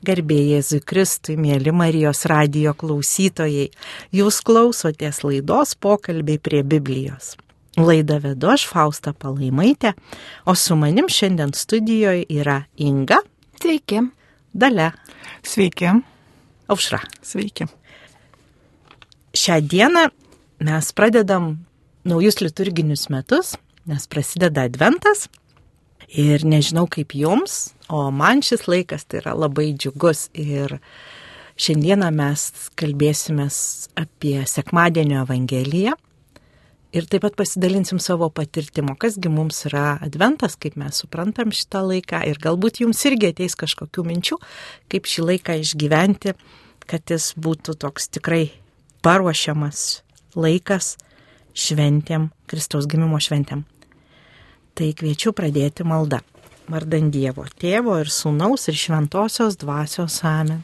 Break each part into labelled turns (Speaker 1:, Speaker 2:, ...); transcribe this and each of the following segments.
Speaker 1: Garbė Jėzui Kristui, mėly Marijos radijo klausytojai, jūs klausotės laidos Pokalbiai prie Biblijos. Laidą vedu aš, Fausta Palaimaitė, o su manim šiandien studijoje yra Inga.
Speaker 2: Sveiki.
Speaker 1: Dalia.
Speaker 3: Sveiki.
Speaker 1: Aušra.
Speaker 3: Sveiki.
Speaker 1: Šią dieną mes pradedam naujus liturginius metus, nes prasideda Adventas. Ir nežinau kaip jums, o man šis laikas tai yra labai džiugus. Ir šiandieną mes kalbėsimės apie sekmadienio Evangeliją. Ir taip pat pasidalinsim savo patirtimo, kasgi mums yra Adventas, kaip mes suprantam šitą laiką. Ir galbūt jums irgi ateis kažkokių minčių, kaip šį laiką išgyventi, kad jis būtų toks tikrai paruošiamas laikas šventėm, Kristaus gimimo šventėm. Tai kviečiu pradėti maldą. Vardan Dievo, Tėvo ir Sūnaus ir Šventosios Dvasios. Amen.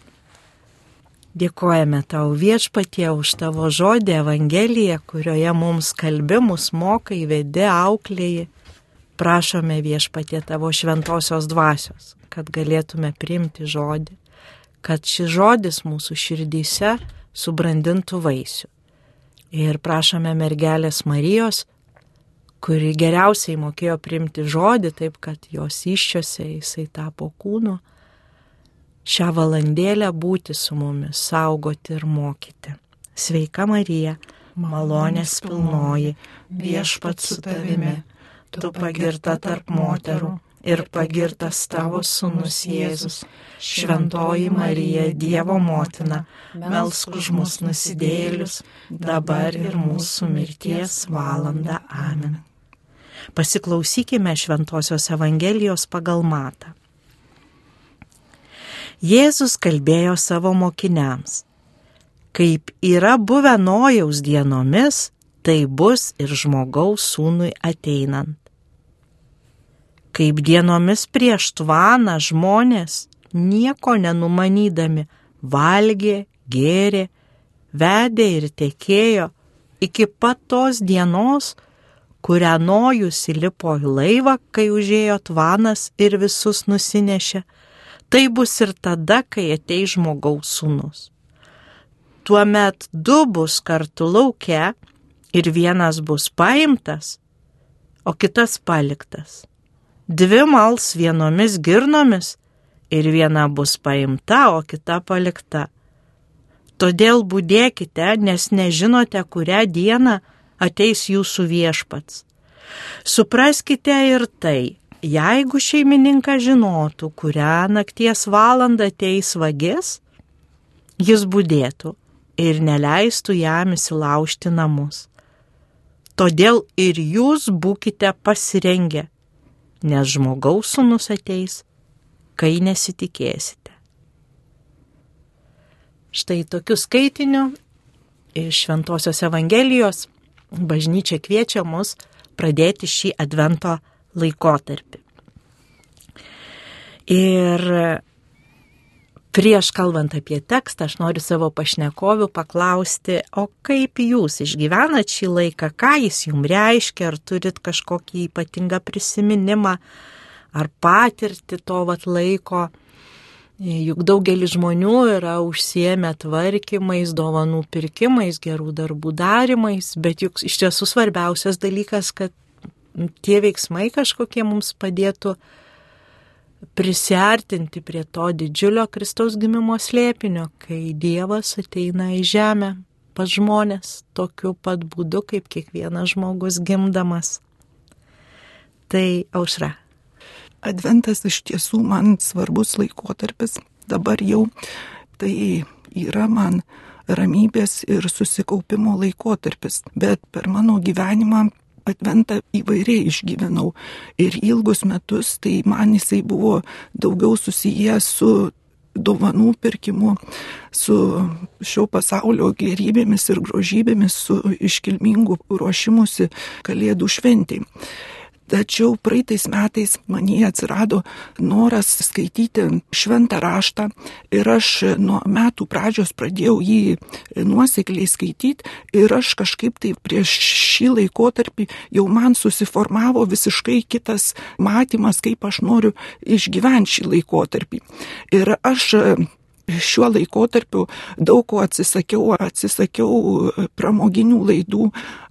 Speaker 1: Dėkojame tau, Viešpatie, už tavo žodį Evangeliją, kurioje mums kalbi, mus mokai, vedi, auklėji. Prašome, Viešpatie, tavo Šventosios Dvasios, kad galėtume priimti žodį, kad šis žodis mūsų širdyse subrandintų vaisių. Ir prašome mergelės Marijos, kuri geriausiai mokėjo priimti žodį, taip kad jos įsčiose jisai tapo kūnu, šią valandėlę būti su mumis, saugoti ir mokyti. Sveika Marija, malonės pilnoji, Viešpats su tavimi, tu pagirta tarp moterų ir pagirtas tavo sūnus Jėzus. Šventoji Marija, Dievo motina, melsk už mus nusidėjėlius, dabar ir mūsų mirties valandą. Amen. Pasiklausykime Šventosios Evangelijos pagal Matą. Jėzus kalbėjo savo mokiniams: kaip yra buvę Nojaus dienomis, tai bus ir Žmogaus sūnui ateinant. Kaip dienomis prieš tvaną žmonės, nieko nenumanydami, valgė, gėrė, vedė ir tekėjo iki pat tos dienos, kurią Nojus įlipo į laivą, kai užėjo tvanas ir visus nusinešė. Tai bus ir tada, kai ateis Žmogaus sūnus. Tuomet du bus kartu lauke ir vienas bus paimtas, o kitas paliktas. Dvi mals vienomis girnomis ir viena bus paimta, o kita palikta. Todėl budėkite, nes nežinote, kurią dieną ateis jūsų Viešpats. Supraskite ir tai, jeigu šeimininkas žinotų, kurią nakties valandą ateis vagis, jis budėtų ir neleistų jam įsilaužti namus. Todėl ir jūs būkite pasirengę, nes Žmogaus sūnus ateis, kai nesitikėsite. Štai tokiu skaitiniu iš Šventosios Evangelijos bažnyčia kviečia mus pradėti šį Advento laikotarpį. Ir prieš kalbant apie tekstą, aš noriu savo pašnekovių paklausti, o kaip jūs išgyvenat šį laiką, ką jis jums reiškia, ar turit kažkokį ypatingą prisiminimą, ar patirtį to laiko. Juk daugelis žmonių yra užsiėmę tvarkymais, dovanų pirkimais, gerų darbų darimais, bet juk iš tiesų svarbiausias dalykas, kad tie veiksmai kažkokie mums padėtų prisiartinti prie to didžiulio Kristaus gimimo slėpinio, kai Dievas ateina į žemę pas žmonės tokiu pat būdu, kaip kiekvienas žmogus gimdamas. Tai Aušra.
Speaker 3: Adventas iš tiesų man svarbus laikotarpis. Dabar jau tai yra man ramybės ir susikaupimo laikotarpis. Bet per mano gyvenimą Adventą įvairiai išgyvenau. Ir ilgus metus tai man jisai buvo daugiau susijęs su dovanų pirkimu, su šio pasaulio gerybėmis ir grožybėmis, su iškilmingu ruošimusi Kalėdų šventei. Tačiau praeitais metais manyje atsirado noras skaityti šventą raštą ir aš nuo metų pradžios pradėjau jį nuosekliai skaityti ir aš kažkaip tai prieš šį laikotarpį jau man susiformavo visiškai kitas matymas, kaip aš noriu išgyventi šį laikotarpį. Ir aš šiuo laikotarpiu daug ko atsisakiau pramoginių laidų,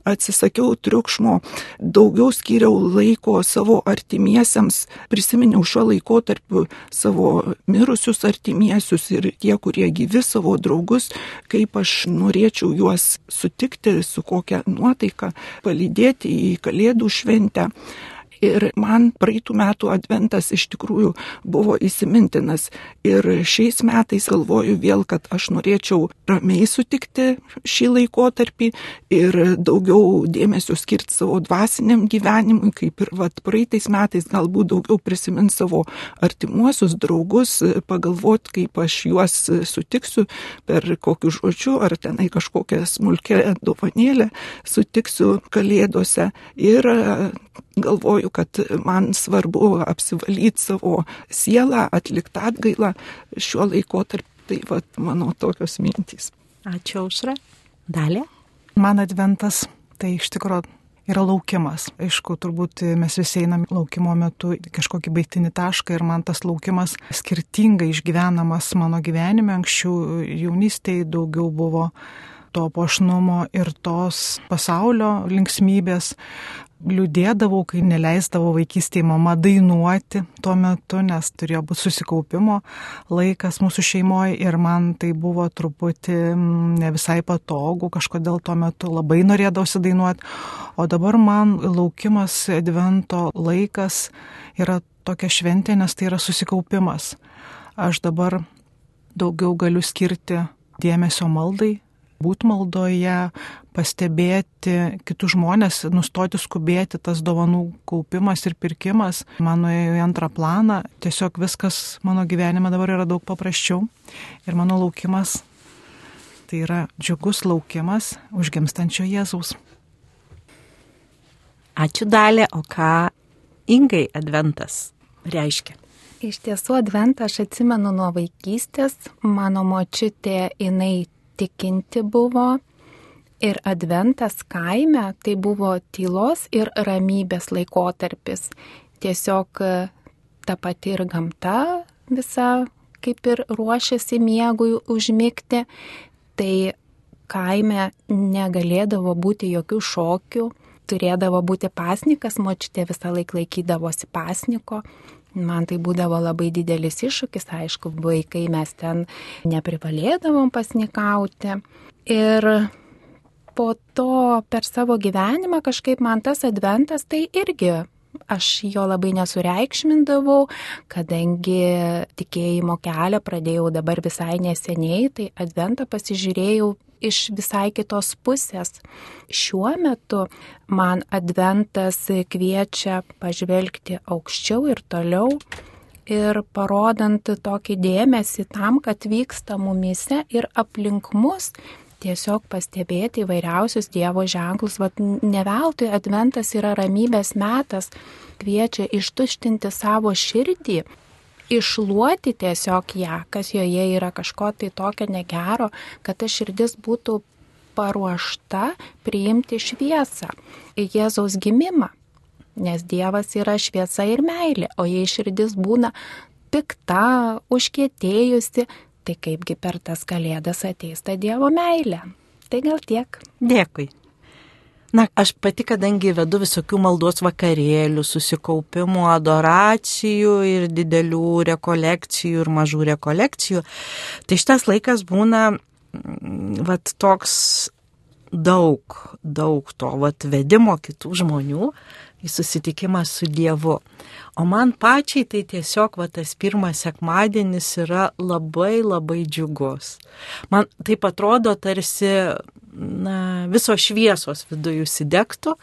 Speaker 3: atsisakiau triukšmo, daugiau skyriau laiko savo artimiesiems, prisiminiau šiuo laikotarpiu savo mirusius artimiesius ir tie, kurie gyvi, savo draugus, kaip aš norėčiau juos sutikti, su kokia nuotaika, palydėti į Kalėdų šventę. Ir man praeitų metų adventas iš tikrųjų buvo įsimintinas. Ir šiais metais galvoju vėl, kad aš norėčiau ramiai sutikti šį laikotarpį ir daugiau dėmesio skirti savo dvasiniam gyvenimui, kaip ir praeitais metais galbūt daugiau prisimint savo artimuosius draugus, pagalvoti, kaip aš juos sutiksiu, per kokius žodžiu, ar tenai kažkokią smulkę dovanėlę sutiksiu Kalėdose. Ir galvoju, kad man svarbu apsivalyti savo sielą, atlikti atgailą šiuo laikotarpiu. Tai mano tokios mintys.
Speaker 1: Ačiū, Aušra. Dalia?
Speaker 2: Man adventas tai iš tikrųjų yra laukimas. Aišku, turbūt mes visi einam laukimo metu kažkokį baigtinį tašką ir man tas laukimas skirtingai išgyvenamas mano gyvenime. Anksčiau jaunystėje daugiau buvo to puošnumo ir tos pasaulio linksmybės. Liūdėdavau, kai neleisdavo vaikystėje mama dainuoti tuo metu, nes turėjo būti susikaupimo laikas mūsų šeimoje ir man tai buvo truputį ne visai patogu, kažkodėl tuo metu labai norėdavosi dainuoti, o dabar man laukimas advento laikas yra tokia šventė, nes tai yra susikaupimas. Aš dabar daugiau galiu skirti dėmesio maldai, būti maldoje, pastebėti kitus žmonės, nustoti skubėti, tas dovanų kaupimas ir pirkimas mano į antrą planą. Tiesiog viskas mano gyvenime dabar yra daug paprasčiau ir mano laukimas tai yra džiugus laukimas užgimstančio Jėzaus.
Speaker 1: Ačiū, Dalia. O ką Ingai adventas reiškia?
Speaker 4: Iš tiesų adventą aš atsimenu nuo vaikystės. Mano močiutė, jinai tikinti buvo ir adventas kaime tai buvo tylos ir ramybės laikotarpis. Tiesiog ta pati ir gamta visa kaip ir ruošiasi miegui užmigti, tai kaime negalėdavo būti jokių šokių, turėdavo būti pasnikas, močiutė visą laiką laikydavosi pasniko. Man tai būdavo labai didelis iššūkis, aišku, vaikai mes ten neprivalėdavom pasnikauti. Ir po to per savo gyvenimą kažkaip man tas adventas tai irgi, aš jo labai nesureikšmindavau, kadangi tikėjimo kelią pradėjau dabar visai neseniai, tai adventą pasižiūrėjau iš visai kitos pusės. Šiuo metu man adventas kviečia pažvelgti aukščiau ir toliau ir parodant tokį dėmesį tam, kad vyksta mumyse ir aplink mus, tiesiog pastebėti įvairiausius Dievo ženklus. Ne veltui adventas yra ramybės metas, kviečia ištuštinti savo širdį, iššluoti tiesiog ją, kas joje yra kažko tai tokio negero, kad ta širdis būtų paruošta priimti šviesą, Jėzaus gimimą, nes Dievas yra šviesa ir meilė, o jei širdis būna pikta, užkietėjusi, tai kaipgi per tas Kalėdas ateis ta Dievo meilė. Tai gal tiek.
Speaker 1: Dėkui. Na, aš pati, kadangi vedu visokių maldos vakarėlių, susikaupimų, adoracijų ir didelių rekolekcijų ir mažų rekolekcijų, tai šitas laikas būna toks daug to vedimo kitų žmonių į susitikimą su Dievu. O man pačiai tai tiesiog tas pirmas sekmadienis yra labai džiugus. Man taip atrodo, tarsi visos šviesos viduje užsidegtų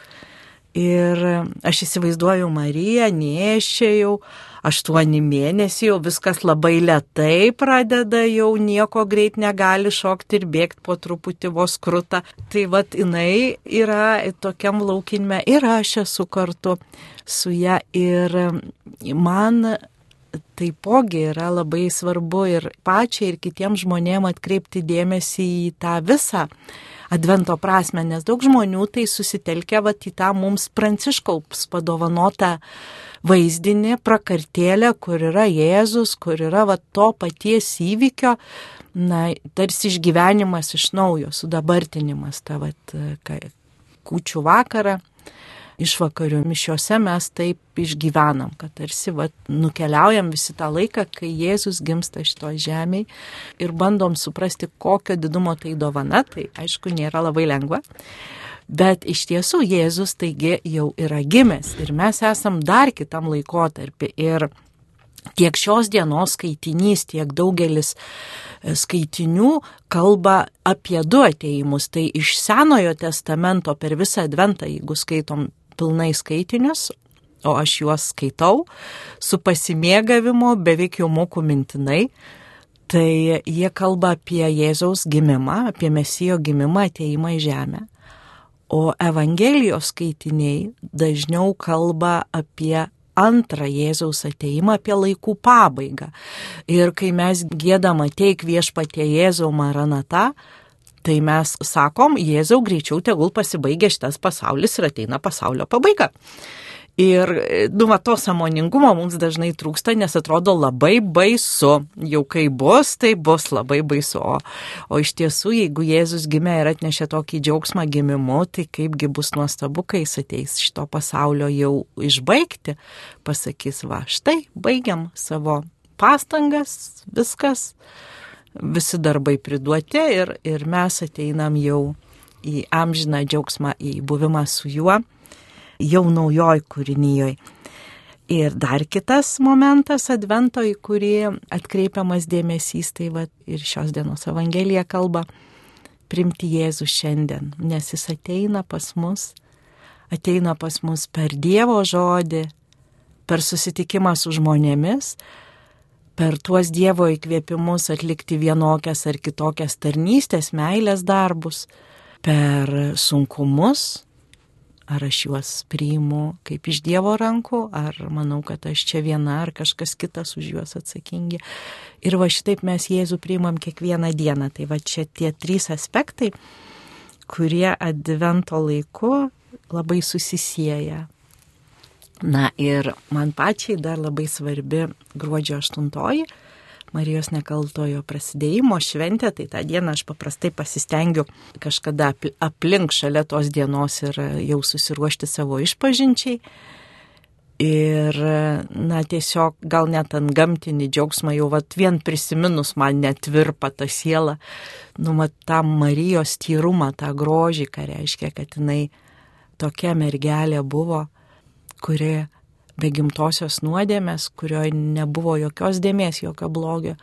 Speaker 1: Ir aš įsivaizduoju Mariją, nėščią jau 8 mėnesių, jau viskas labai lėtai pradeda, jau nieko greit negali šokti ir bėgti po truputį vos kruta. Tai vat jinai yra tokiam laukinime ir aš esu kartu su ją. Ir man taipogi yra labai svarbu ir pačiai, ir kitiems žmonėms atkreipti dėmesį į tą visą Advento prasme, nes daug žmonių tai susitelkia vat į tą mums Pranciškaus padovanotą vaizdinį, prakartėlę, kur yra Jėzus, kur yra vat to paties įvykio, tarsi išgyvenimas iš naujo, sudabartinimas, ta vat kūčių vakarą. Išvakarių mišiose mes taip išgyvenam, kad tarsi nukeliaujam visi tą laiką, kai Jėzus gimsta šitoj žemėj ir bandom suprasti, kokio didumo tai dovana, tai aišku nėra labai lengva, bet iš tiesų Jėzus taigi jau yra gimęs ir mes esam dar kitam laikotarpį ir tiek šios dienos skaitinys, tiek daugelis skaitinių kalba apie 2 atėjimus, tai iš Senojo testamento per visą Adventą, jeigu skaitom pilnai skaitinius, o aš juos skaitau su pasimėgavimu, beveik jau moku mintinai, tai jie kalba apie Jėzaus gimimą, apie Mesijo gimimą, atėjimą į žemę. O Evangelijos skaitiniai dažniau kalba apie antrą Jėzaus atėjimą, apie laikų pabaigą. Ir kai mes giedam ateik viešpatie Jėzau Maranata, tai mes sakom, Jėzau, greičiau tegul pasibaigia šitas pasaulis ir ateina pasaulio pabaiga. Ir to sąmoningumo mums dažnai trūksta, nes atrodo labai baisu. Jau kai bus, tai bus labai baisu. O iš tiesų, jeigu Jėzus gimė ir atnešė tokį džiaugsmą gimimu, tai kaipgi bus nuostabu, kai jis ateis šito pasaulio jau išbaigti. Pasakys, va, štai, baigiam savo pastangas, viskas. Visi darbai priduoti ir mes ateinam jau į amžiną džiaugsmą, į buvimą su juo, jau naujoj kūrinyjoj. Ir dar kitas momentas Advento, į kurį atkreipiamas dėmesys, tai ir šios dienos Evangelija kalba, priimti Jėzų šiandien, nes jis ateina pas mus per Dievo žodį, per susitikimą su žmonėmis, per tuos Dievo įkvėpimus atlikti vienokias ar kitokias tarnystės, meilės darbus, per sunkumus, ar aš juos priimu kaip iš Dievo rankų, ar manau, kad aš čia viena, ar kažkas kitas už juos atsakingi. Ir šitaip mes Jėzų priimam kiekvieną dieną. Tai čia tie 3 aspektai, kurie Advento laiku labai susisieja. Ir man pačiai dar labai svarbi gruodžio 8, Marijos nekaltojo prasidėjimo šventė, tai tą dieną aš paprastai pasistengiu kažkada aplink šalia tos dienos ir jau susiruošti savo išpažinčiai. Ir, tiesiog gal net ant gamtinį džiaugsmą jau vien prisiminus man net virpa ta siela, tą Marijos tyrumą, tą grožį, ką reiškia, kad jinai tokia mergelė buvo, kuri be gimtosios nuodėmės, kurioje nebuvo jokios dėmės, jokio blogio.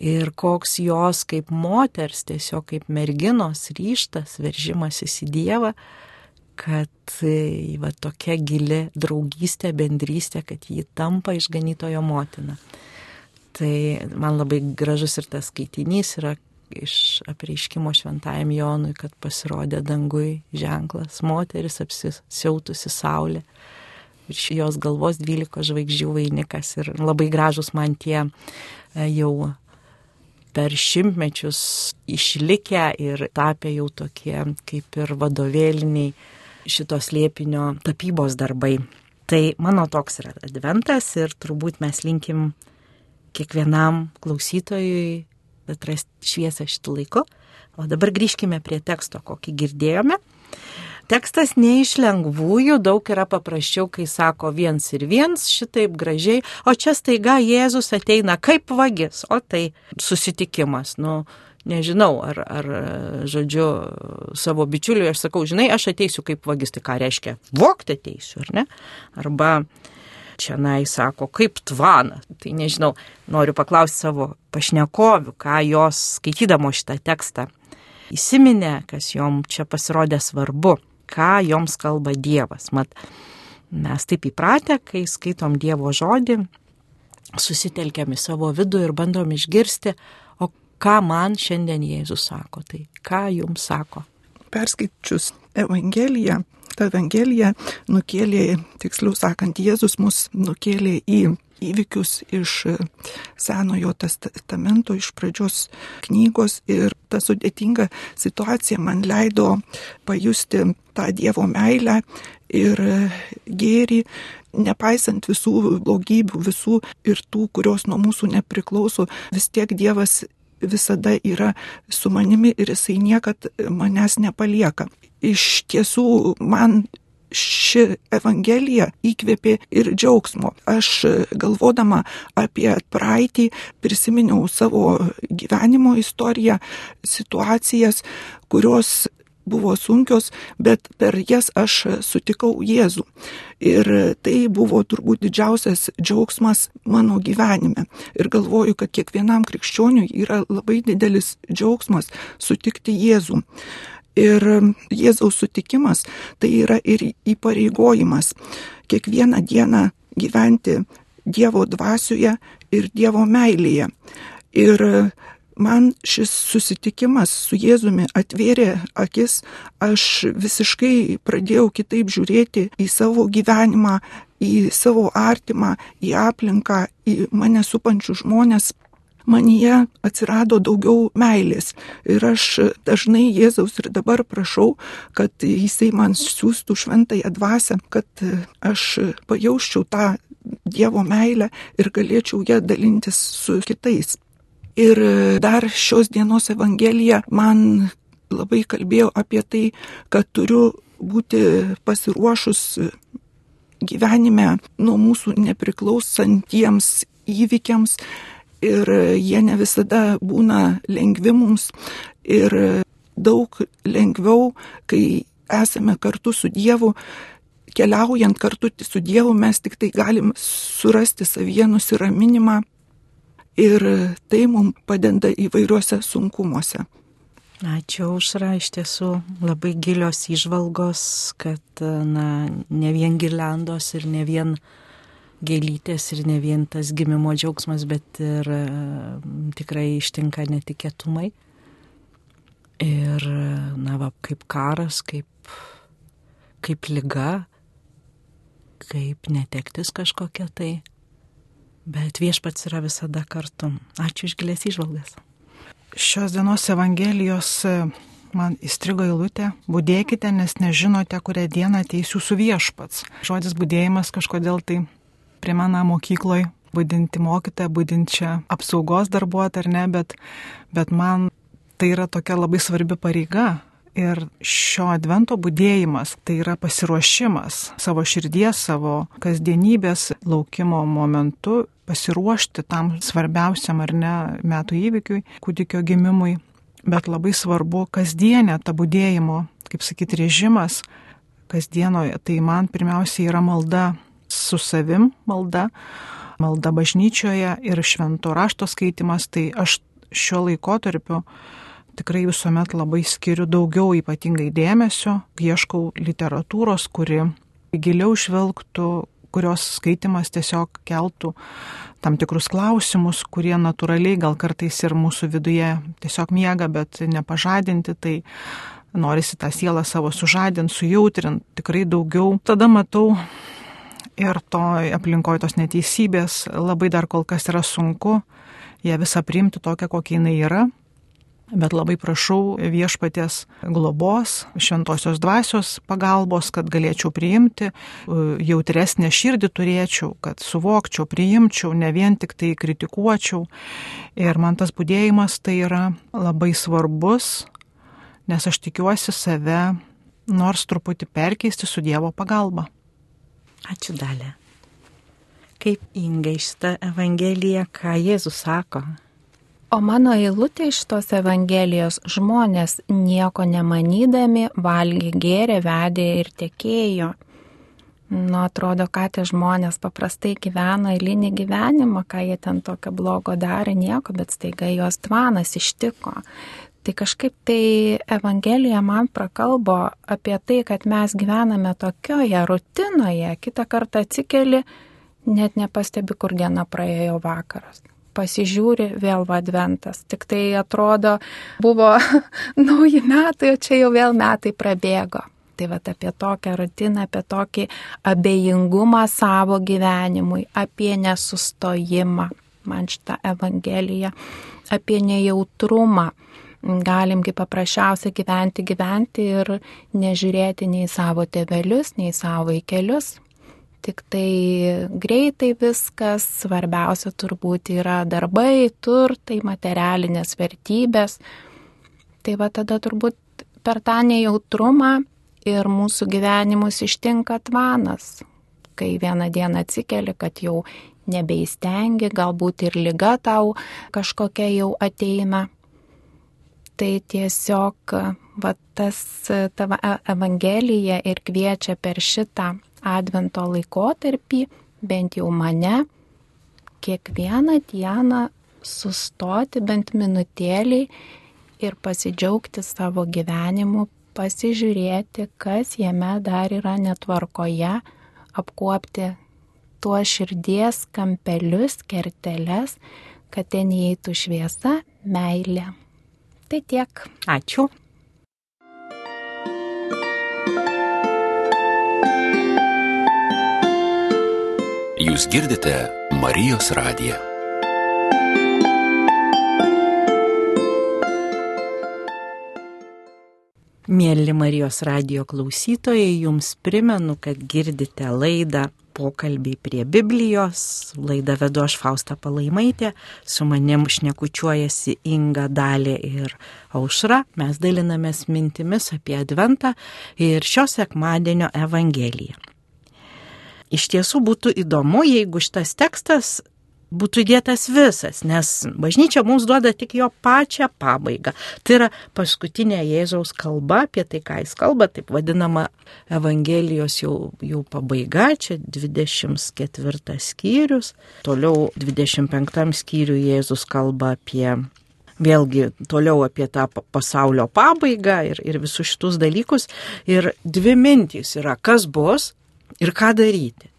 Speaker 1: Ir koks jos kaip moters, tiesiog kaip merginos ryžtas, veržimasis į Dievą, kad tokia gili draugystė, bendrystė, kad ji tampa išganytojo motina. Tai man labai gražus ir tas skaitinys yra iš apreiškimo šventajam Jonui, kad pasirodė dangui ženklas, moteris apsisiautusi saulė. Virš jos galvos 12 žvaigždžių vainikas ir labai gražus man tie jau per šimtmečius išlikę ir tapę jau tokie kaip ir vadovėliniai šito slėpinio tapybos darbai. Tai mano toks yra Adventas ir turbūt mes linkim kiekvienam klausytojui atrasti šviesą šitų laikų. O dabar grįžkime prie teksto, kokį girdėjome. Tekstas ne iš lengvųjų, daug yra paprasčiau, kai sako 1 ir 1, šitaip gražiai, o čia staiga Jėzus ateina kaip vagis, o tai susitikimas. Nežinau, ar žodžiu, savo bičiuliui aš sakau, žinai, aš ateisiu kaip vagis, tai ką reiškia? Vogti ateisiu, ar ne? Arba čianai sako, kaip tvana. Tai nežinau, noriu paklausti savo pašnekovių, ką jos skaitydamo šitą tekstą įsiminė, kas jom čia pasirodė svarbu. ką joms kalba Dievas. Mat, mes taip įpratę, kai skaitom Dievo žodį, susitelkiam į savo vidų ir bandom išgirsti, o ką man šiandien Jėzus sako, tai ką jums sako.
Speaker 3: Perskaičius Evangeliją, ta Evangelija nukėlė, tiksliau sakant, Jėzus mus nukėlė į įvykius iš Senojo testamento, iš pradžios knygos, ir ta sudėtinga situacija man leido pajusti tą Dievo meilę ir gėrį, nepaisant visų blogybių, visų ir tų, kurios nuo mūsų nepriklauso, vis tiek Dievas visada yra su manimi ir jisai niekad manęs nepalieka. Iš tiesų, man ši Evangelija įkvėpė ir džiaugsmo. Aš galvodama apie praeitį prisiminiau savo gyvenimo istoriją, situacijas, kurios buvo sunkios, bet per jas aš sutikau Jėzų. Ir tai buvo turbūt didžiausias džiaugsmas mano gyvenime. Ir galvoju, kad kiekvienam krikščioniui yra labai didelis džiaugsmas sutikti Jėzų. Ir Jėzaus sutikimas tai yra ir įpareigojimas kiekvieną dieną gyventi Dievo dvasioje ir Dievo meilėje. Ir man šis susitikimas su Jėzumi atvėrė akis, aš visiškai pradėjau kitaip žiūrėti į savo gyvenimą, į savo artimą, į aplinką, į mane supančius žmonės. Manyje atsirado daugiau meilės ir aš dažnai Jėzaus ir dabar prašau, kad jisai man siūstų šventąją dvasią, kad aš pajausčiau tą Dievo meilę ir galėčiau ją dalintis su kitais. Ir dar šios dienos Evangelija man labai kalbėjo apie tai, kad turiu būti pasiruošus gyvenime nuo mūsų nepriklausantiems įvykiams. Ir jie ne visada būna lengvi mums ir daug lengviau, kai esame kartu su Dievu, keliaujant kartu su Dievu, mes tik tai galim surasti savyje nusiraminimą ir tai mums padeda įvairiuose sunkumuose.
Speaker 1: Ačiū, Aušra, iš tiesų labai gilios įžvalgos, kad ne vien girliandos ir ne vien gėlytės ir ne vien tas gimimo džiaugsmas, bet ir tikrai ištinka netikėtumai. Ir, kaip karas, kaip liga, kaip netektis kažkokia tai. Bet Viešpats yra visada kartu. Ačiū už gilias įžvalgas.
Speaker 2: Šios dienos Evangelijos man įstrigo eilutė: budėkite, nes nežinote, kurią dieną ateis jūsų Viešpats. Žodis budėjimas kažkodėl tai primena mokykloje budinti mokytoją, budinčią apsaugos darbuotoją, ar ne, bet man tai yra tokia labai svarbi pareiga. Ir šio advento budėjimas tai yra pasiruošimas savo širdies, savo kasdienybės laukimo momentu, pasiruošti tam svarbiausiam ar ne metų įvykiui, kūdikio gimimui. Bet labai svarbu kasdienė ta budėjimo, kaip sakyti, režimas kasdienoje. Tai man pirmiausiai yra malda su savim, malda bažnyčioje ir švento rašto skaitimas. Tai aš šiuo laikotarpiu tikrai visuomet labai skiriu daugiau ypatingai dėmesio, ieškau literatūros, kuri giliau žvelgtų, kurios skaitimas tiesiog keltų tam tikrus klausimus, kurie natūraliai gal kartais ir mūsų viduje tiesiog miega, bet nepažadinti, tai norisi tą sielą savo sužadinti, sujautrint tikrai daugiau. Tada matau ir to aplinkoje tos neteisybės labai dar kol kas yra sunku ją visą priimti tokią, kokia jinai yra. Bet labai prašau Viešpaties globos, šventosios dvasios pagalbos, kad galėčiau priimti, jautresnę širdį turėčiau, kad suvokčiau, priimčiau, ne vien tik tai kritikuočiau. Ir man tas budėjimas tai yra labai svarbus, nes aš tikiuosi save nors truputį perkeisti su Dievo pagalba.
Speaker 1: Ačiū, Dalia. Kaip Inga šitą Evangeliją, ką Jėzus sako?
Speaker 4: O mano eilutė iš tos Evangelijos: žmonės nieko nemanydami valgė, gėrė, vedė ir tekėjo. Atrodo, ką tie žmonės paprastai gyveno eilinį gyvenimą, ką jie ten tokio blogo darė, nieko, bet staiga jos tvanas ištiko. Tai kažkaip tai Evangelija man prakalbo apie tai, kad mes gyvename tokioje rutinoje, kitą kartą atsikeli, net nepastebi, kur diena praėjo vakaras. Pasižiūri, vėl adventas. Tik tai atrodo, buvo nauji metai, o čia jau vėl metai prabėgo. Tai apie tokią rutiną, apie tokį abejingumą savo gyvenimui, apie nesustojimą. Man šitą Evangeliją, apie nejautrumą. Galim kaip paprasčiausiai gyventi ir nežiūrėti nei savo tėvelius, nei savo vaikelius. Tik tai greitai viskas, svarbiausia turbūt yra darbai, turtai, materialinės vertybės. Tai tada turbūt per tą nejautrumą ir mūsų gyvenimus ištinka tvanas, kai vieną dieną atsikeli, kad jau nebeįstengi, galbūt ir liga tau kažkokia jau ateina. Tai tiesiog tavo Evangelija ir kviečia per šitą Advento laikotarpį, bent jau mane, kiekvieną dieną sustoti bent minutėlį ir pasidžiaugti savo gyvenimu, pasižiūrėti, kas jame dar yra netvarkoje, apkuopti tuos širdies kampelius, kerteles, kad ten įeitų šviesa, meilė. Tai tiek.
Speaker 1: Ačiū.
Speaker 5: Jūs girdite Marijos radiją.
Speaker 1: Mėly Marijos radijo klausytojai, jums primenu, kad girdite laidą Pokalbiai prie Biblijos. Laidą vedu aš, Fausta Palaimaitė, su manim šnekučiuojasi Inga, Dalė ir Aušra. Mes dalinamės mintimis apie Adventą ir šio sekmadienio Evangeliją. Iš tiesų būtų įdomu, jeigu šitas tekstas būtų įdėtas visas, nes bažnyčia mums duoda tik jo pačią pabaigą. Tai yra paskutinė Jėzaus kalba, apie tai, ką jis kalba, taip vadinama Evangelijos jau pabaiga, čia 24 skyrius. Toliau 25 skyriui Jėzus kalba apie, vėlgi toliau apie tą pasaulio pabaigą ir visus šitus dalykus. Ir dvi mintys yra, kas bus ir ką daryti.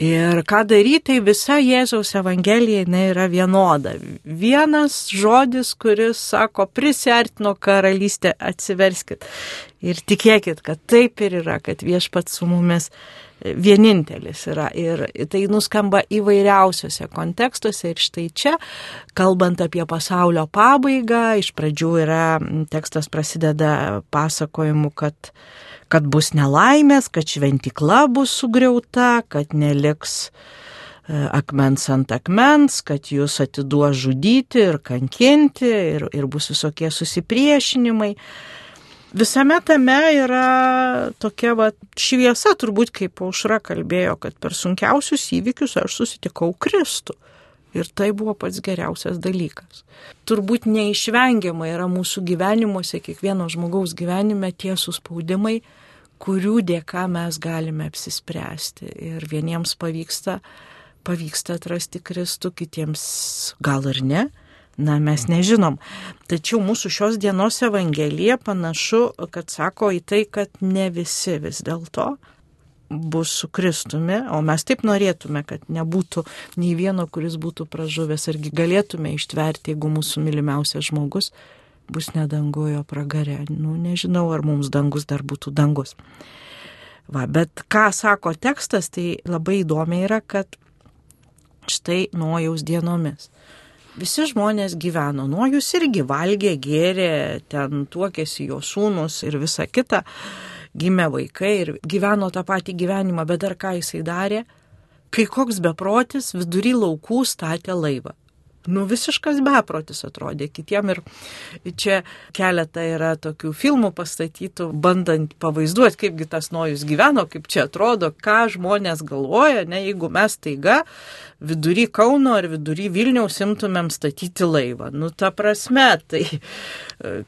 Speaker 1: Ir ką daryti, tai visa Jėzaus Evangelija yra vienoda. Vienas žodis, kuris sako, prisiartino karalystė, atsiverskit. Ir tikėkit, kad taip ir yra, kad Viešpats su mumis vienintelis yra. Ir tai nuskamba įvairiausiose kontekstuose. Ir štai čia, kalbant apie pasaulio pabaigą, iš pradžių tekstas prasideda pasakojimu, kad bus nelaimės, kad šventykla bus sugriauta, kad neliks akmens ant akmens, kad jūs atiduos žudyti ir kankinti ir bus visokie susipriešinimai. Visame tame yra tokia šviesa, turbūt kaip Aušra kalbėjo, kad per sunkiausius įvykius aš susitikau Kristų. Ir tai buvo pats geriausias dalykas. Turbūt neišvengiamai yra mūsų gyvenimuose, kiekvieno žmogaus gyvenime tie suspaudimai, kurių dėka mes galime apsispręsti. Ir vieniems pavyksta atrasti Kristų, kitiems gal ir ne. Na, mes nežinom. Tačiau mūsų šios dienos Evangelija panašu, kad sako į tai, kad ne visi vis dėlto bus su Kristumi, o mes taip norėtume, kad nebūtų nei vieno, kuris būtų pražuvęs, argi galėtume ištverti, jeigu mūsų mylimiausias žmogus bus ne danguje, o pragare. Nežinau, ar mums dangus dar būtų dangus. Bet ką sako tekstas, tai labai įdomi yra, kad štai Nojaus dienomis visi žmonės gyveno. Nojus irgi valgė, gėrė, ten tuokėsi jo sūnus ir visa kita. Gimė vaikai ir gyveno tą patį gyvenimą, bet dar ką jisai darė, kai koks beprotis vidury laukų statė laivą. Visiškas beprotis atrodė kitiem ir čia keletą yra tokių filmų pastatytų, bandant pavaizduoti, kaipgi tas Nojus gyveno, kaip čia atrodo, ką žmonės galvoja, jeigu mes taiga vidury Kauno ar vidury Vilniaus imtumėm statyti laivą. Ta prasme, tai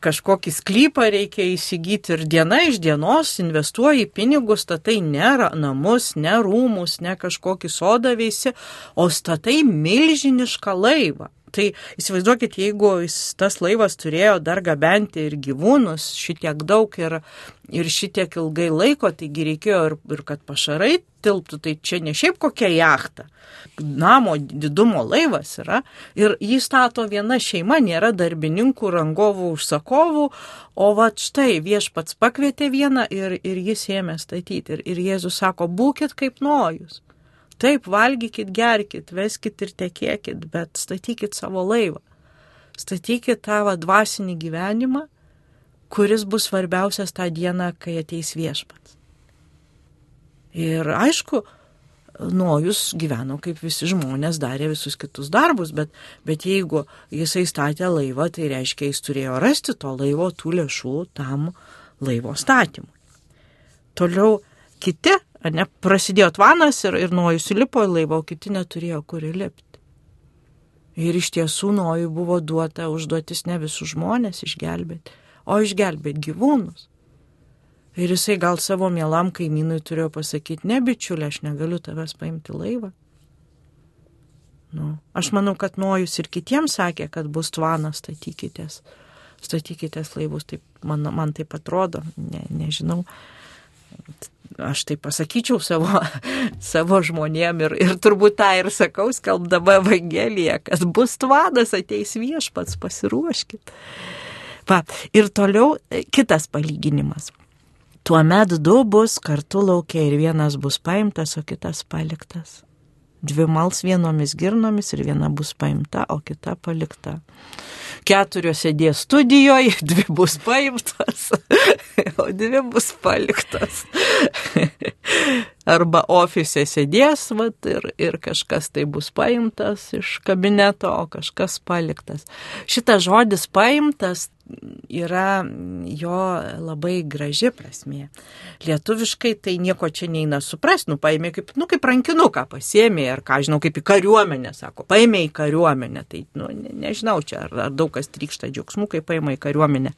Speaker 1: kažkokį sklypą reikia įsigyti ir diena iš dienos investuoji pinigus, statai ne namus, ne rūmus, ne kažkokį sodą veisi, o statai milžinišką laivą. Tai įsivaizduokit, jeigu tas laivas turėjo dar gabenti ir gyvūnus šitiek daug ir šitiek ilgai laiko, taigi reikėjo ir kad pašarai tilptų, tai čia ne šiaip kokia jachta. Namo didumo laivas yra ir jį stato viena šeima, nėra darbininkų, rangovų, užsakovų, o vat štai viešpats pakvietė vieną ir jis ėmė statyti. Ir Jėzus sako, būkit kaip Nojus. Taip, valgykit, gerkit, veskit ir tekėkit, bet statykit savo laivą. Statykit tą dvasinį gyvenimą, kuris bus svarbiausias tą dieną, kai ateis viešpats. Ir aišku, Nojus gyveno kaip visi žmonės, darė visus kitus darbus, bet jeigu jisai statė laivą, tai reiškia, jis turėjo rasti to laivo tų lėšų tam laivo statymui. Toliau kiti, prasidėjo tvanas ir Nojus įlipo į laivą, o kiti neturėjo kur įlipti. Ir iš tiesų Nojui buvo duota užduotis ne visus žmonės išgelbėti, o išgelbėti gyvūnus. Ir jisai gal savo mielam kaimynui turėjo pasakyti, ne bičiulė, aš negaliu tavęs paimti laivą. Aš manau, kad Nojus ir kitiems sakė, kad bus tvanas, statykitės laivus, taip, man taip atrodo, nežinau. Aš tai pasakyčiau savo žmonėm ir turbūt tą ir sakau, skelbdama Evangeliją, kad bus tvanas, ateis viešpats, pasiruoškit. Ir toliau kitas palyginimas. Tuomet du bus kartu lauke ir vienas bus paimtas, o kitas paliktas. Dvi mals vienomis girnomis ir viena bus paimta, o kita palikta. 4 sėdės studijoje, 2 bus paimtas, o 2 bus paliktas. Arba ofise sėdės ir kažkas tai bus paimtas iš kabineto, o kažkas paliktas. Šitas žodis paimtas yra jo labai graži prasmė. Lietuviškai tai nieko čia neina suprasti, paėmė kaip rankinuką pasiėmė, ar ką žinau, kaip į kariuomenę, sako, paėmė į kariuomenę, tai nežinau čia, ar daug kas trykšta džiaugsmų, kai paėmė į kariuomenę.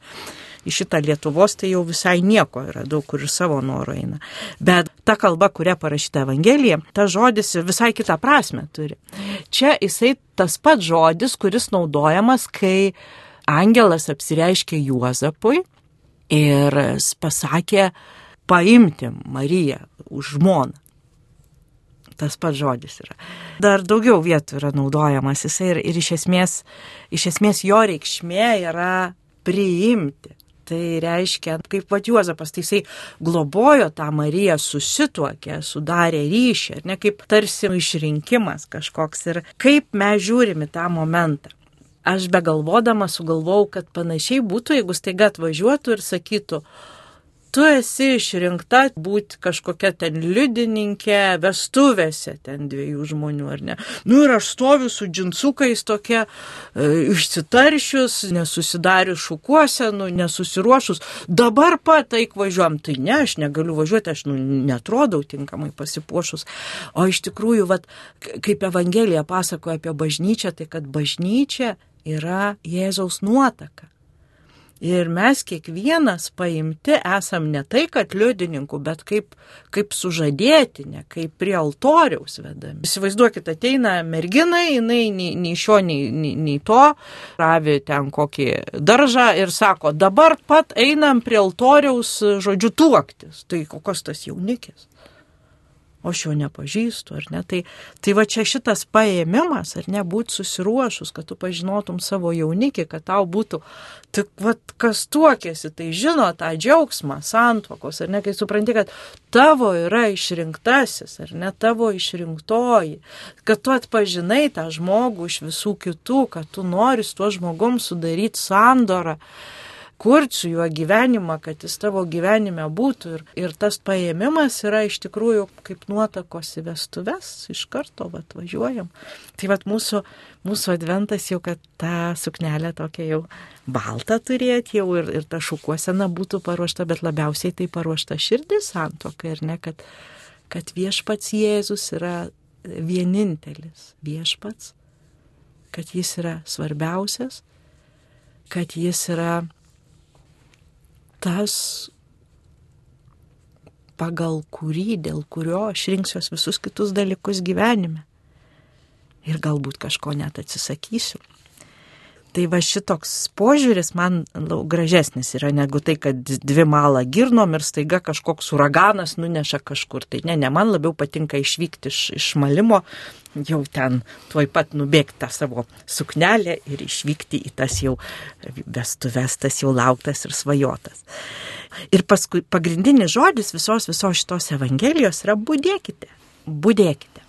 Speaker 1: Į šitą Lietuvos tai jau visai nieko yra, daug kur ir savo noro eina. Bet ta kalba, kuria parašyta Evangelija, ta žodis visai kitą prasme turi. Čia jisai tas pats žodis, kuris naudojamas, kai angelas apsireiškė Juozapui ir pasakė paimti Mariją už žmoną. Tas pats žodis yra. Dar daugiau vietų yra naudojamas jisai ir iš esmės jo reikšmė yra priimti. Tai reiškia, kaip Juozapas, tai jisai globojo tą Mariją, susituokė, sudarė ryšį, ar ne, kaip tarsi išrinkimas kažkoks. Ir kaip mes žiūrime tą momentą. Aš begalvodama sugalvojau, kad panašiai būtų, jeigu staiga atvažiuotų ir sakytų, tu esi išrinkta būti kažkokia ten liudininkė vestuvėse ten 2 žmonių, ar ne? Ir aš stoviu su džinsukais tokia išsitaršius, nesusidarius šukuosenų, nesusiruošus. Dabar pat eik važiuojam. Tai ne, aš negaliu važiuoti, aš netrodau tinkamai pasipuošus. O iš tikrųjų, kaip Evangelija pasakoja apie bažnyčią, tai kad bažnyčia yra Jėzaus nuotaka. Ir mes kiekvienas paimti esam ne tai, kad liudininkų, bet kaip sužadėtinė, kaip prie altoriaus vedami. Įsivaizduokit, ateina mergina, jinai nei šio, nei to, ravi ten kokį daržą ir sako, dabar pat einam prie altoriaus, žodžiu, tuoktis. Tai kokios tas jaunikis? O aš jo nepažįstu, ar ne? Tai va čia šitas paėmimas, ar ne, būti susiruošus, kad tu pažinotum savo jaunikį, kad tau būtų, tik kas tuokėsi, tai žino tą džiaugsmą santuokos, ar ne, kai supranti, kad tavo yra išrinktasis, ar ne, tavo išrinktoji, kad tu atpažinai tą žmogų iš visų kitų, kad tu nori su tuo žmogum sudaryti sandorą, kurti su juo gyvenimą, kad jis tavo gyvenime būtų. Ir tas paėmimas yra iš tikrųjų kaip nuotakos į vestuves, iš karto važiuojam. Tai mūsų adventas jau, kad tą suknelę tokia jau baltą turėti jau ir ta šukuosena būtų paruošta, bet labiausiai tai paruošta širdis santuokai, ir ne, kad viešpats Jėzus yra vienintelis viešpats, kad jis yra svarbiausias, kad jis yra tas, pagal kurį, dėl kurio aš rinksiuos visus kitus dalykus gyvenime. Ir galbūt kažko net atsisakysiu. Tai va šitoks požiūris man gražesnis yra negu tai, kad dvi malą girnom ir staiga kažkoks uraganas nuneša kažkur. Tai ne, man labiau patinka išvykti iš malimo, jau ten tuoj pat nubėgti tą savo suknelę ir išvykti į tas jau vestuves, tas jau lauktas ir svajotas. Ir paskui pagrindinis žodis visos šitos evangelijos yra budėkite, budėkite,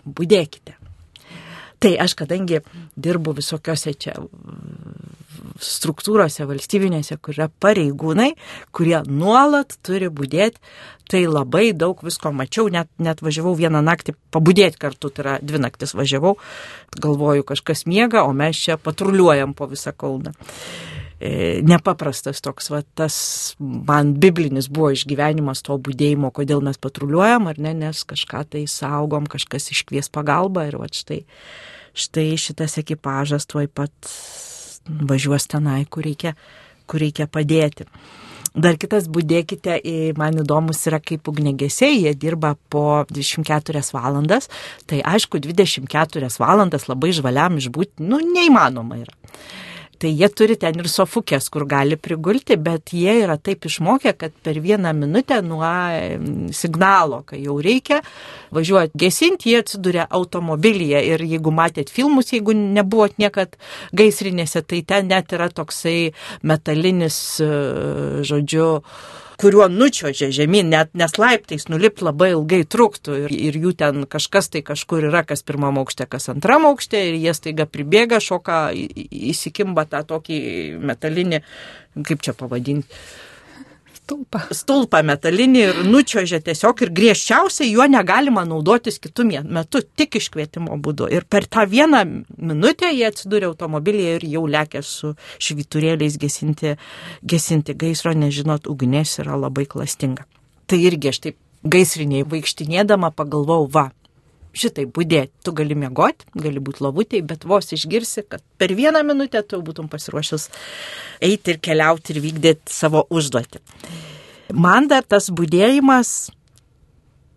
Speaker 1: budėkite. Tai aš kadangi dirbu visokiose čia struktūrose valstybinėse, kur yra pareigūnai, kurie nuolat turi budėti, tai labai daug visko mačiau, net važiavau vieną naktį pabudėti kartu, tai yra 2 naktis važiavau, galvoju kažkas miega, o mes čia patruliuojam po visą Kauną. Nepaprastas toks, va, tas man biblinis buvo išgyvenimas to budėjimo, kodėl mes patruliuojam, ar ne, nes kažką tai saugom, kažkas iškvies pagalbą ir va štai šitas ekipažas tuoj pat važiuos tenai, kur reikia padėti. Dar kitas budėkite, man įdomus yra kaip ugniagesiai, jie dirba po 24 valandas, tai aišku 24 valandas labai žvaliam išbūti, neįmanoma yra. Tai jie turi ten ir sofukės, kur gali prigulti, bet jie yra taip išmokę, kad per 1 minutę nuo signalo, kai jau reikia važiuoti gesinti, jie atsiduria automobilyje ir jeigu matėt filmus, jeigu nebuvot niekad gaisrinėse, tai ten net yra toksai metalinis, žodžiu, kuriuo nučiožia žemyn, net nes laiptais nulipt labai ilgai truktų ir jų ten kažkas tai kažkur yra, kas 1 aukšte, kas 2 aukšte ir jie staiga pribėga, šoka, įsikimba tą tokį metalinį, kaip čia pavadinti, stulpą metalinį ir nučiožia tiesiog ir griežčiausiai juo negalima naudotis kitų metų, tik iškvietimo būdu. Ir per tą 1 minutę jie atsidūrė automobilyje ir jau lekia su švyturėliais gesinti gaisro, nežinot, ugnis yra labai klastinga. Tai irgi aš taip gaisriniai vaikštinėdama pagalvojau, va, šitai budėti, tu gali miegoti, gali būti lovutėj, bet vos išgirsi, kad per 1 minutę tu būtum pasiruošęs eiti ir keliauti ir vykdyti savo užduotį. Man dar tas budėjimas,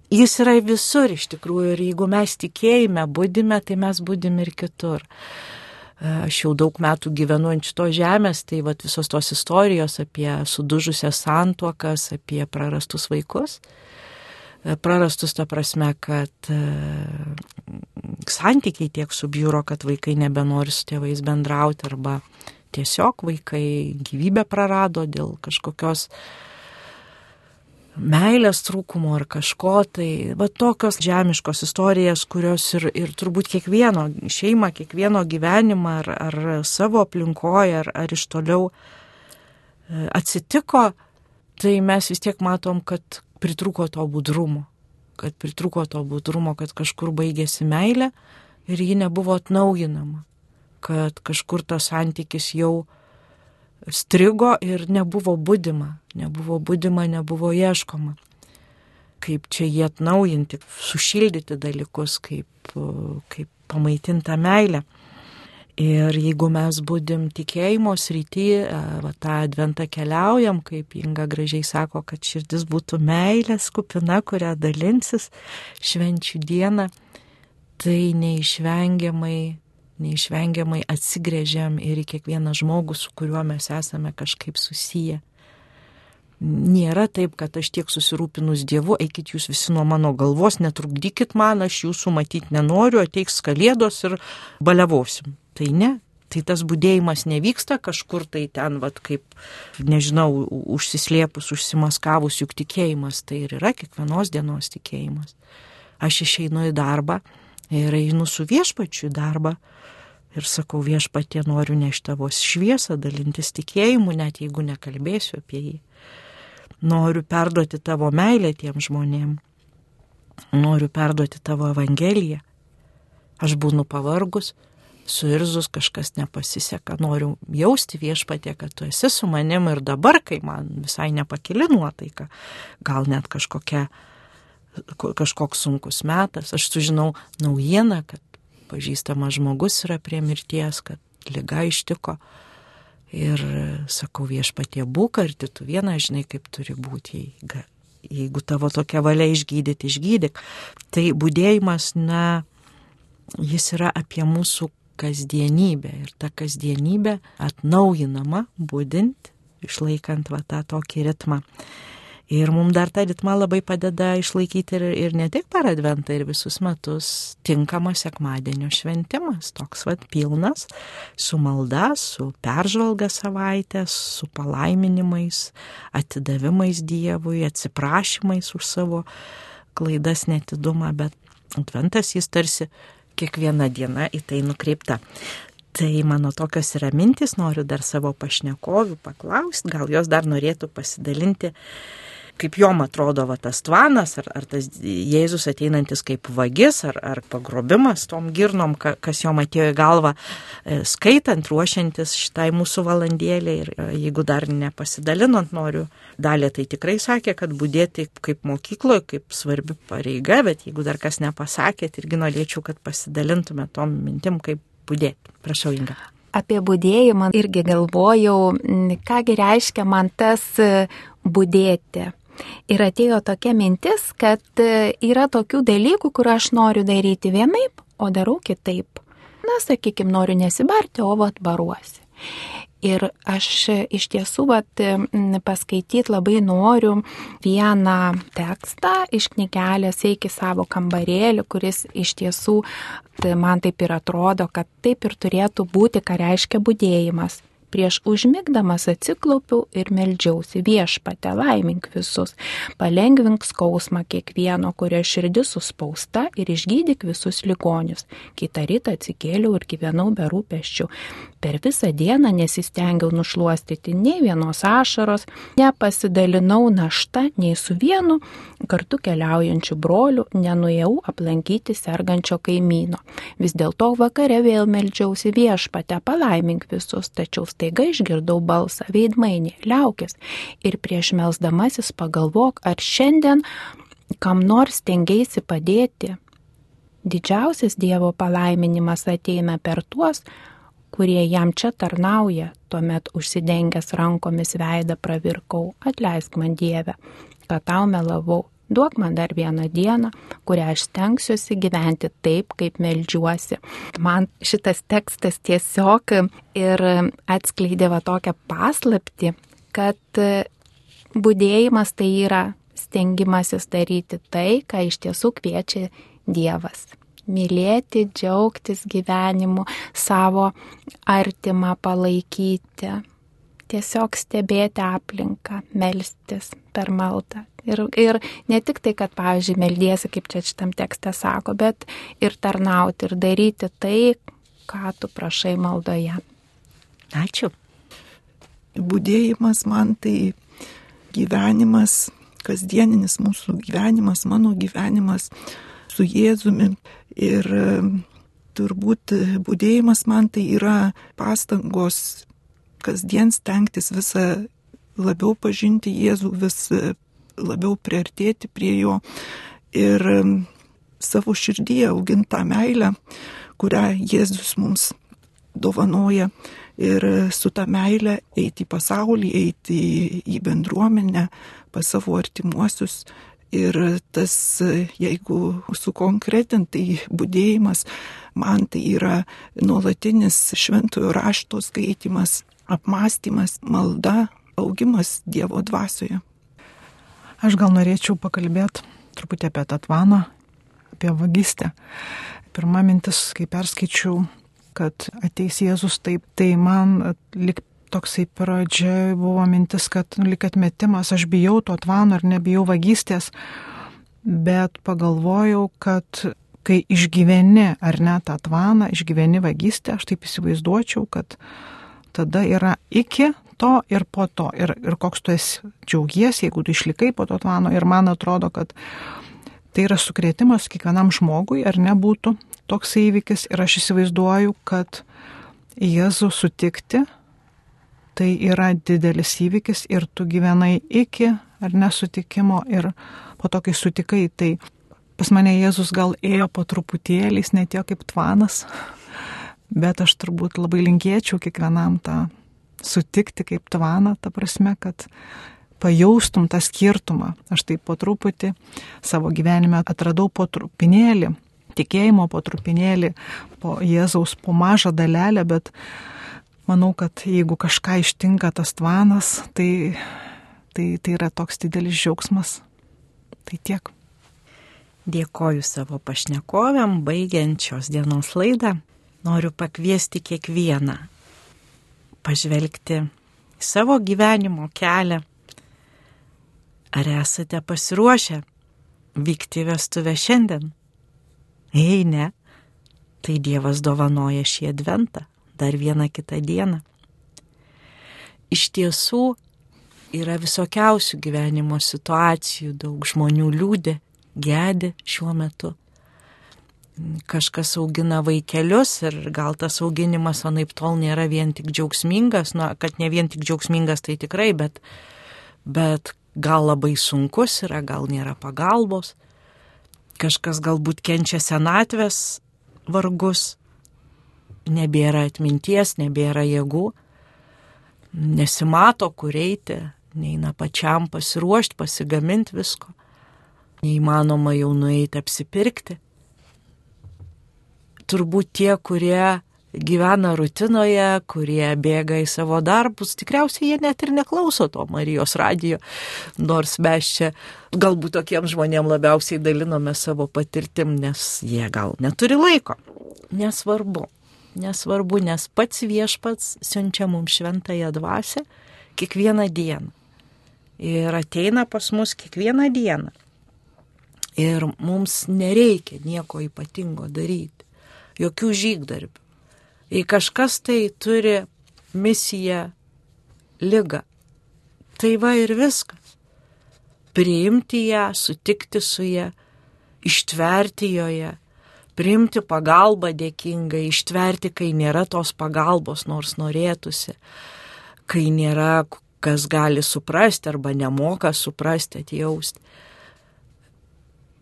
Speaker 1: jis yra visur iš tikrųjų ir jeigu mes tikėjime budime, tai mes budim ir kitur. Aš jau daug metų gyvenu ant šitos žemės, tai vat visos tos istorijos apie sudužusias santuokas, apie prarastus vaikus. Prarastus ta prasme, kad santykiai tiek subjūro, kad vaikai nebenori su tėvais bendrauti arba tiesiog vaikai gyvybę prarado dėl kažkokios meilės trūkumo ar kažko, tai va tokios žemiškos istorijas, kurios ir turbūt kiekvieno šeimą, kiekvieno gyvenimą ar savo aplinkoje ar iš toliau atsitiko, tai mes vis tiek matom, kad pritrūko to budrumo, kad kažkur baigėsi meilė ir ji nebuvo atnaujinama, kad kažkur tas santykis jau strigo ir nebuvo budima, nebuvo ieškoma. Kaip čia jį atnaujinti, sušildyti dalykus, kaip pamaitinti meilę. Ir jeigu mes budim tikėjimo srity, tą adventą keliaujam, kaip Inga gražiai sako, kad širdis būtų meilės kupina, kurią dalinsis švenčių dieną, tai neišvengiamai atsigręžiam ir į kiekvieną žmogų, su kuriuo mes esame kažkaip susiję. Nėra taip, kad aš tiek susirūpinus Dievu, eikit jūs visi nuo mano galvos, netrukdykit man, aš jūsų matyti nenoriu, ateiks kalėdos ir baliavosim. Tai ne, tai tas budėjimas nevyksta kažkur tai ten, vat, kaip, nežinau, užsislėpus, užsimaskavus, juk tikėjimas tai ir yra kiekvienos dienos tikėjimas. Aš išeinu į darbą ir einu su viešpačiu į darbą ir sakau, viešpatie, noriu nešti tavo šviesą, dalintis tikėjimu, net jeigu nekalbėsiu apie jį. Noriu perduoti tavo meilę tiem žmonėm. Noriu perduoti tavo evangeliją. Aš būnu pavargus, suirzus, kažkas nepasiseka. Noriu jausti viešpatie, kad tu esi su manim ir dabar, kai man visai nepakili nuotaika. Gal net kažkoks sunkus metas. Aš sužinau naujieną, kad pažįstamas žmogus yra prie mirties, kad liga ištiko. Ir sakau, viešpatie, būk arti, tu vieną žinai, kaip turi būti. Jeigu tavo tokia valia išgydyk. Tai budėjimas, jis yra apie mūsų kasdienybė ir ta kasdienybė atnaujinama, būdint, išlaikant va tą tokį ritmą. Ir mums dar tą ritmą labai padeda išlaikyti ir ne tik per Adventą, ir visus metus tinkamas sekmadienio šventimas, toks pilnas, su malda, su peržvalga savaitės, su palaiminimais, atidavimais Dievui, atsiprašymais už savo klaidas, netidumą, bet Adventas jis tarsi kiekviena diena į tai nukreipta. Tai mano tokios yra mintys, noriu dar savo pašnekovių paklausti, gal jos dar norėtų pasidalinti, kaip jom atrodo tas tvanas, ar tas Jėzus ateinantis kaip vagis, ar pagrobimas tom girnom, kas jom atėjo į galvą, skaitant, ruošiantis šitai mūsų valandėlė. Ir jeigu dar nepasidalinant, noriu, Dalė tai tikrai sakė, kad budėti kaip mokykloje, kaip svarbi pareiga, bet jeigu dar kas nepasakėt, irgi norėčiau, kad pasidalintume tom mintim, kaip budėti. Prašau, Inga.
Speaker 4: Apie budėjimą irgi galvojau, kągi reiškia man tas budėti. Ir atėjo tokia mintis, kad yra tokių dalykų, kur aš noriu daryti vienaip, o darau kitaip. Na, sakykime, noriu nesibarti, o baruosi. Ir aš iš tiesų paskaityti labai noriu vieną tekstą iš knygelės Eik į savo kambarėlį, kuris iš tiesų man taip ir atrodo, kad taip ir turėtų būti, ką reiškia budėjimas. Prieš užmigdamas atsiklaupiau ir meldžiausi: Viešpatie, laimink visus, palengvink skausmą kiekvieno, kurio širdis suspausta, ir išgydyk visus ligonius. Kitą rytą atsikėliau ir gyvenau be rūpesčių. Per visą dieną nesistengiau nušluostyti nei vienos ašaros, nepasidalinau naštą nei su vienu kartu keliaujančiu broliu, nenuėjau aplankyti sergančio kaimyno. Vis dėlto vakare vėl meldžiausi: Viešpatie, palaimink visus, tačiau staiga išgirdau balsą: veidmainė, liaukis. Ir prieš melsdamasis pagalvok, ar šiandien kam nors stengiaisi padėti. Didžiausias Dievo palaiminimas ateina per tuos, kurie jam čia tarnauja. Tuomet užsidengęs rankomis veidą pravirkau: atleisk man, Dieve, kad tau melavau. Duok man dar vieną dieną, kurią aš stengsiuosi gyventi taip, kaip meldžiuosi. Man šitas tekstas tiesiog ir atskleidė tokią paslaptį, kad budėjimas tai yra stengimasis daryti tai, ką iš tiesų kviečia Dievas. Mylėti, džiaugtis gyvenimu, savo artimą palaikyti, tiesiog stebėti aplinką, melstis per maldą. Ir ne tik tai, kad, pavyzdžiui, meldiesi, kaip čia šitam tekste sako, bet ir tarnauti, ir daryti tai, ką tu prašai maldoje.
Speaker 1: Ačiū.
Speaker 3: Budėjimas man tai gyvenimas, kasdieninis mūsų gyvenimas, mano gyvenimas su Jėzumi. Ir turbūt budėjimas man tai yra pastangos kasdien stengtis visą labiau pažinti Jėzų, vis labiau priartėti prie jo ir savo širdyje auginti tą meilę, kurią Jėzus mums dovanoja, ir su tą meilę eiti į pasaulį, eiti į bendruomenę, pas savo artimuosius. Ir tas, jeigu sukonkretinti, budėjimas, man tai yra nuolatinis šventojo rašto skaitymas, apmąstymas, malda, augimas Dievo dvasioje.
Speaker 2: Aš gal norėčiau pakalbėti truputį apie tą tvaną, apie vagystę. Pirma mintis, kai perskaičiau, kad ateis Jėzus taip, tai man lik toksai pradžia buvo mintis, kad lik atmetimas, aš bijau to tvano ir nebijau vagystės, bet pagalvojau, kad kai išgyveni ar ne tą tvaną, išgyveni vagystę, aš taip įsivaizduočiau, kad tada yra iki to ir po to. Ir koks tu esi džiaugiesi, jeigu tu išlikai po to tvano. Ir man atrodo, kad tai yra sukrėtimas kiekvienam žmogui, ar nebūtų toks įvykis. Ir aš įsivaizduoju, kad Jėzų sutikti, tai yra didelis įvykis ir tu gyvenai iki ar nesutikimo ir po to, kai sutikai, tai pas mane Jėzus gal ėjo po truputėlį, jis netėjo kaip tvanas, bet aš turbūt labai linkėčiau kiekvienam tą sutikti kaip tvaną, ta prasme, kad pajaustum tą skirtumą. Aš taip po truputį savo gyvenime atradau po trupinėlį tikėjimo po trupinėlį, po Jėzaus, po mažą dalelę, bet manau, kad jeigu kažką ištinka tas tvanas, tai yra toks didelis džiaugsmas. Tai tiek.
Speaker 1: Dėkoju savo pašnekovėm, baigiant šios dienos laidą. Noriu pakviesti kiekvieną pažvelgti į savo gyvenimo kelią. Ar esate pasiruošę vykti vestuvę šiandien? Jei ne, tai Dievas dovanoja šį adventą, dar vieną kitą dieną. Iš tiesų yra visokiausių gyvenimo situacijų, daug žmonių liūdi, gedi šiuo metu. Kažkas augina vaikelius ir gal tas auginimas anaip tol nėra vien tik džiaugsmingas, kad ne vien tik džiaugsmingas tai tikrai, bet gal labai sunkus yra, gal nėra pagalbos. Kažkas galbūt kenčia senatvės vargus, nebėra atminties, nebėra jėgų, nesimato kur eiti, neina pačiam pasiruošti, pasigaminti visko. Neįmanoma jau nueiti apsipirkti. Turbūt tie, kurie gyvena rutinoje, kurie bėga į savo darbus, tikriausiai jie net ir neklauso to Marijos radijo, nors mes čia galbūt tokiems žmonėms labiausiai dalinome savo patirtim, nes jie gal neturi laiko. Nesvarbu, nes pats Viešpats siunčia mums šventąją dvasią kiekvieną dieną. Ir ateina pas mus kiekvieną dieną. Ir mums nereikia nieko ypatingo daryti, jokių žygdarbių. Jei kažkas tai turi misiją, ligą, tai va ir viskas. Priimti ją, sutikti su ją, ištverti joje, priimti pagalbą dėkingai, ištverti, kai nėra tos pagalbos, nors norėtųsi, kai nėra kas gali suprasti arba nemoka suprasti, atjausti.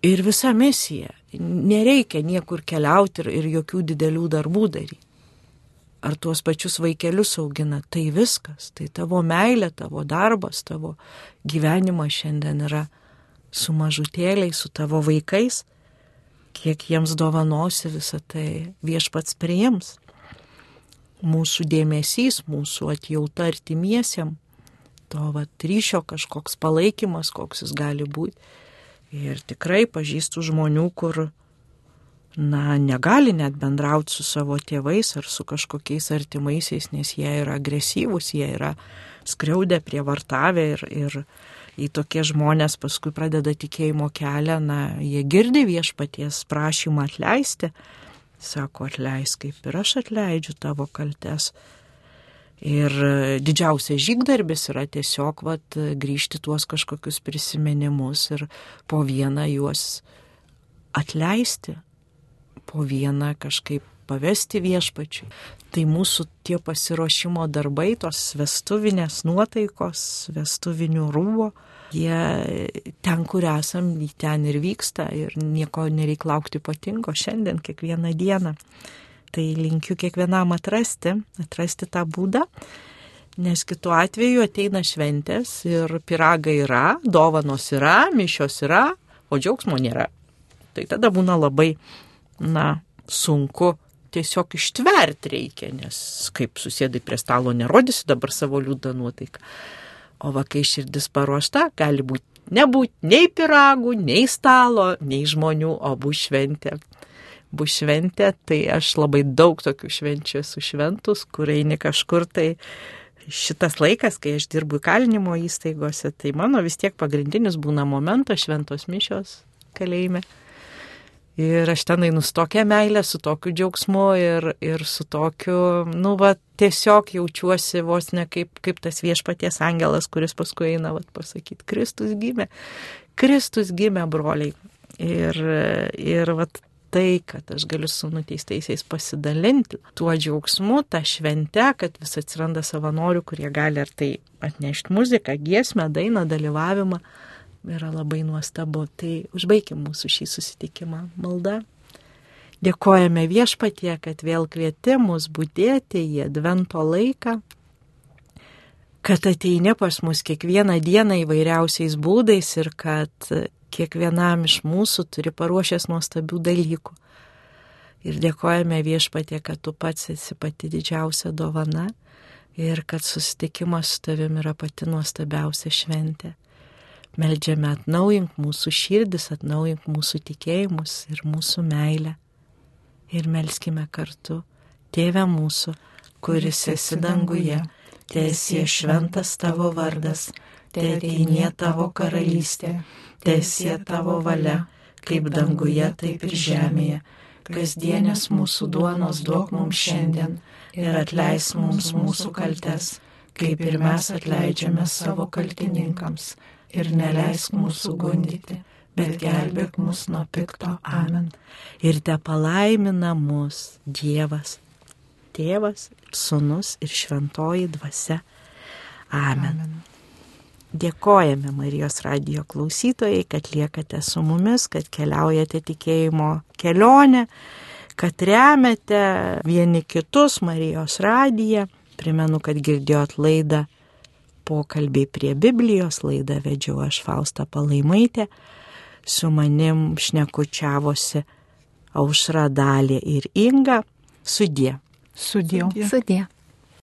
Speaker 1: Ir visa misija. Nereikia niekur keliauti ir jokių didelių darbų daryti. Ar tuos pačius vaikelius augina, tai viskas. Tai tavo meilė, tavo darbas, tavo gyvenimas šiandien yra su mažutėliais, su tavo vaikais. Kiek jiems dovanosi, visą tai Viešpats priims. Mūsų dėmesys, mūsų atjauta artimiesiem, to ryšio kažkoks palaikymas, koks jis gali būti. Ir tikrai pažįstu žmonių, kur, negali net bendrauti su savo tėvais ar su kažkokiais artimaisiais, nes jie yra agresyvūs, jie yra skriaudę, prievartavę ir į tokie žmonės paskui pradeda tikėjimo kelią, jie girdi Viešpaties prašymą atleisti, sako, atleisk, kaip ir aš atleidžiu tavo kaltes. Ir didžiausias žygdarbis yra tiesiog grįžti tuos kažkokius prisiminimus ir po vieną juos atleisti, po vieną kažkaip pavesti Viešpačiui. Tai mūsų tie pasiruošimo darbai, tos vestuvinės nuotaikos, vestuvinių rūbo, jie ten, kur esam, ten ir vyksta ir nieko nereik laukti ypatingo šiandien, kiekvieną dieną. Tai linkiu kiekvienam atrasti tą būdą, nes kitu atveju ateina šventės ir piragai yra, dovanos yra, mišios yra, o džiaugsmo nėra. Tai tada būna labai, sunku, tiesiog ištverti reikia, nes kaip susėdai prie stalo nerodysi dabar savo liūdną nuotaiką. O kai širdis paruošta, gali nebūti nei piragų, nei stalo, nei žmonių, o bus šventė. Bus šventė, tai aš labai daug tokių švenčių esu šventus, kur eini kažkur, tai šitas laikas, kai aš dirbu įkalinimo įstaigose, tai mano vis tiek pagrindinis būna momentas šventos mišios kalėjime. Ir aš ten einu su tokia meilė, su tokiu džiaugsmu ir su tokiu, tiesiog jaučiuosi vos ne kaip tas Viešpaties angelas, kuris paskui eina pasakyti, Kristus gimė, broliai. Ir tai, kad aš galiu su nuteistaisiais pasidalinti tuo džiaugsmu, tą šventę, kad vis atsiranda savanorių, kurie gali ar tai atnešti muziką, giesmę, dainą, dalyvavimą, yra labai nuostabu. Tai užbaikim mūsų šį susitikimą malda. Dėkojame Viešpatie, kad vėl kvieti mus budėti į advento laiką, kad ateini pas mus kiekvieną dieną įvairiausiais būdais ir kad kiekvienam iš mūsų turi paruošęs nuostabių dalykų. Ir dėkojame Viešpatie, kad tu pats esi pati didžiausia dovana ir kad susitikimas su tavimi yra pati nuostabiausia šventė. Meldžiame, atnaujink mūsų širdis, atnaujink mūsų tikėjimus ir mūsų meilę. Ir melskime kartu. Tėve mūsų, kuris esi danguje, teesie šventas tavo vardas, teateinie tavo karalystė, teesie tavo valia, kaip danguje, taip ir žemėje. Kasdienės mūsų duonos duok mums šiandien ir atleisk mums mūsų kaltes, kaip ir mes atleidžiame savo kaltininkams. Ir neleisk mūsų gundyti, bet gelbėk mus nuo pikto. Amen. Ir te palaimina mus Dievas, Tėvas, Sūnus ir Šventoji Dvasia. Amen. Dėkojame Marijos radijo klausytojai, kad liekate su mumis, kad keliaujate tikėjimo kelionę, kad remiate vieni kitus Marijos radiją. Primenu, kad girdėjot laidą Pokalbiai prie Biblijos, laidą vedžiau aš Fausta Palaimaitė, su manim šnekučiavosi Aušra, Dalė ir Inga. Sudie.
Speaker 2: Sudie.
Speaker 4: Sudie.